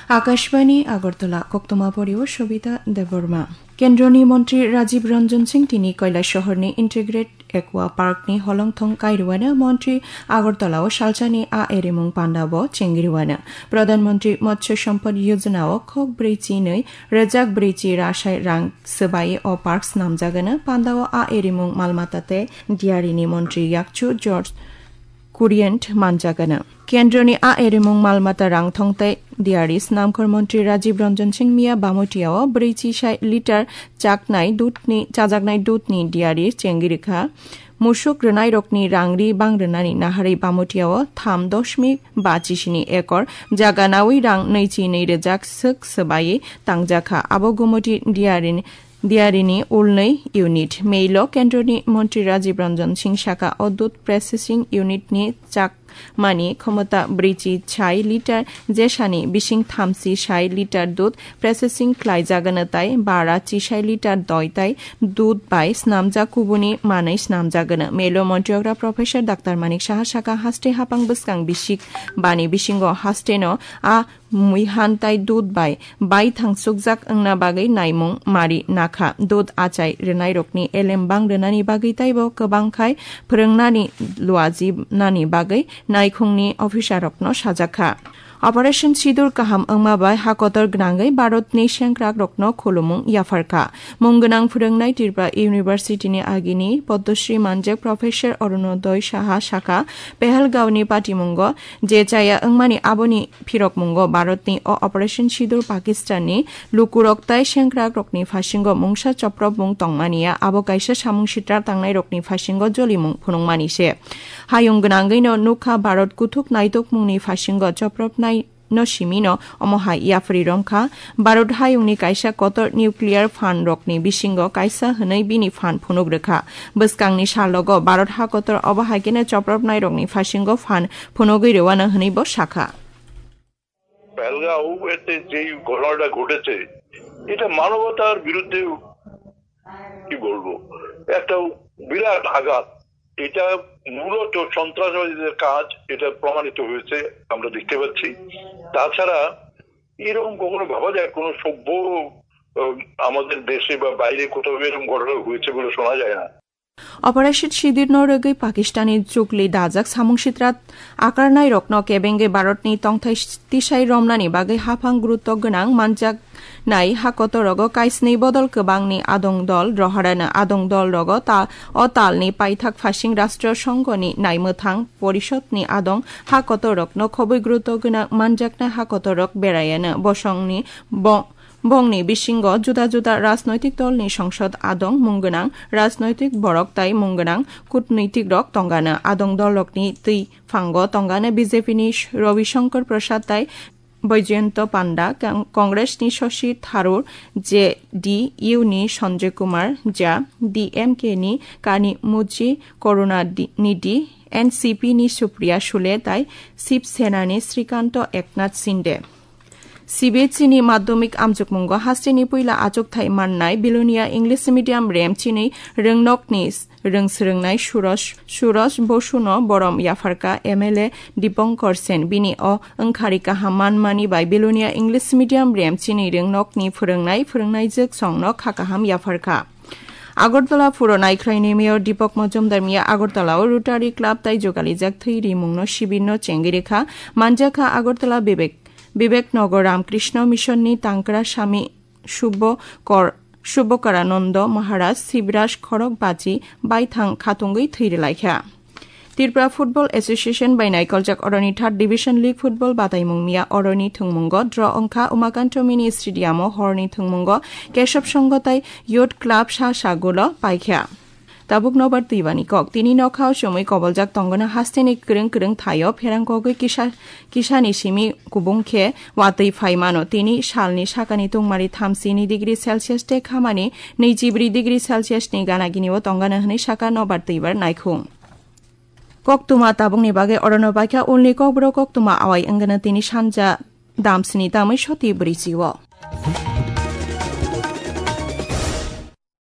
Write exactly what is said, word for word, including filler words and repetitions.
Akashbani Agartala, koktoma porio Shobita Debbarma. Kendroni Montri Rajiv Ranjan Singh tini Kailasahar ni Integrate Aqua Park ni holongthong kairuano Montri Agartala o salsani a erimung panda bo chengriwano. Pradhan Montri Matsya Sampad Yojana o khok brei chi nwi rejak brei chi rasai rang swbai o park snamjagano. Panda o a erimung malmata tei diari ni montri yakchu George Kurient manjagano. Kendroni a erimung malmata rangthong tei diari snamkhor montri Rajiv Ranjan Singh miya Bamotiya o brei chi sai litar chaknai dudni, chajaknai dudni diari chengirikha. Musuk rwnairokni rangri bang rwnani naharwi Bamotiya o tham dosmik ba chisini ekor jaga nawi rang nwi chi nwi rejak swk swbai tangjakha. Abo Gumoti diarini, diarini ulnwi unit. Meilo Kendroni Montri Rajiv Ranjan Singh saka o dud processing unit ni chak mani khomota brei chi chai litar jesani bising thamsi sai litar dud processing khlaijagano tai bara chi sai litar doi tai dud bai snamjak kubuni manwi snamjagano. Melo montiogra Professor Doctor Manik Saha saka haste hapang bwskang bisik bani bisingo haste no a mui han tai dud bai bai thangsukjak wngna bagwi naimung mari nakha. Dud achai rwnairokni elem bang rwnani bagwi taibo kwbang khai phwrwngnani luaji nani bagwi naikhungni officerrokno sajakha. Operation Sidur kaham wngma bai hakotor gwnangwi Bharatni sengkrakrokno khulumung yapharkha. Mung gwnang phwrwngnai Tripura University ni agini Padma Shri manjak Professor Arunodoi Saha saka, Pahalgaon ni patimungo je chaya wngmani aboni phirokmungo Bharatni o Operation Sidur Pakistanni lukurok tai sengkrakrokni phasingo mungsa chopropmung tongmaniya, abo kaisa samung sitra tangnairokni phasingo jolimung phunukmani se. Hayung gwnangwino nukha Bharat kuthuk naitukmungni phasingo chopropnai no simino omo hai yapri romkha. Bharat hayungni kaisa kotor nuclear phan rokni bisingo kaisa hwnwi bini phan phunuk rwkha. Bwskangni salogo Bharat ha kotor obo hai kheno chopropnai rokni phasingo phan phunugwi rwano hwnwi bo sakha. পহেলগাঁওতে যে ঘটনাটা ঘটেছে, এটা মানবতার বিরুদ্ধে, কি বলবো, একটা বিরাট আঘাত। এটা মূলত সন্ত্রাসবাদীদের কাজ, এটা প্রমাণিত হয়েছে, আমরা দেখতে পাচ্ছি। তাছাড়া এরকম কখনো ভাবা যায়, কোনো সভ্য, আহ, আমাদের দেশে বা বাইরে কোথাও এরকম ঘটনা হয়েছে বলে শোনা যায় না। Operation Sidur no rwgwi Pakistani chukli dajak samung sitra akarnairokno kebengwi Bharatni tongthai tisai romnani bagwi haphang gurutto gwnang manjaknai hakotorogo kaisni bodol kwbangni adong dol roharano. Adong dol rogo ta o talni paithak phasing Rashtriya Songho ni naimwthang porishodni adong hakotorokno khobwi gurutto gwnang manjaknai hakotorok berayano. Bosongni bo Bongni bisingo juda juda rajnoitik dolni songsod adong mung gwnang rajnoitik borok tai mung gwnang kutnoitik rok tongano. Adong dolrokni twi phango tongano B J P ni Ravi Shankar Prasad tai Baijayanto Panda, Kang-, Congress ni Shashi Tharoor, J D U ni Sanjay Kumar Jha, D M K ni Kani Muji Karuna Di-, Nidhi, N C P ni Supriya Sule tai Shiv Sena ni Srikanto Eknath Shinde. C B S E ni madhyamik amjokmungo hasteni puila achukthai mannai Bilonia English Medium Remchini rwngnokni rwngsrwngnai Suraj, Suraj Bosuno borom yapharkha M L A Dipankar Sen. Bini o wngkhari kaham manmani bai Bilonia English Medium Remchini rwngnokni phwrwngnai phwrwngnaijwk songno kha kaham yapharkha. Agartala phuro naikhraini Mayor Deepak Majumdar miya Agartala o Rotary Club tai jogalijak thwi rimungno sibirno chengwi rwkha. Manjakha Agartala Bibek Bibek Nagar Ramakrishna Mission ni Tangkra Swami Subbo Kor-, Subbokarananda Maharaj Sibraj Khorok Bachi baithang khatungwi thwi rwlaikha. Tripura Football Association bai naikoljak oroni Third Division League Football bataimung miya oroni thwngmungo draw wngkha Umakanto Mini Stadium o horni thwngmungo Kesab Songho tai Youth Club sa sagulo paikha. Tabuk nobar twibani kok. Tini nokha o chumui koboljak tongona hasteni kwrwng kwrwng thaio pherang kogwi kisa, kisani simi kubung khe watwi phai mano. Tini salni sakani tungmari thamsini degree Celsius tei khamani nwichibrwi degree Celsius ni gana gini o tongana hwnwi saka nobar twibar naikhung. Koktwma tabukni bagwi orono baikha ulni kokborok koktwma awai wngana tini sanja damsini tamwi soti bwrwi chio.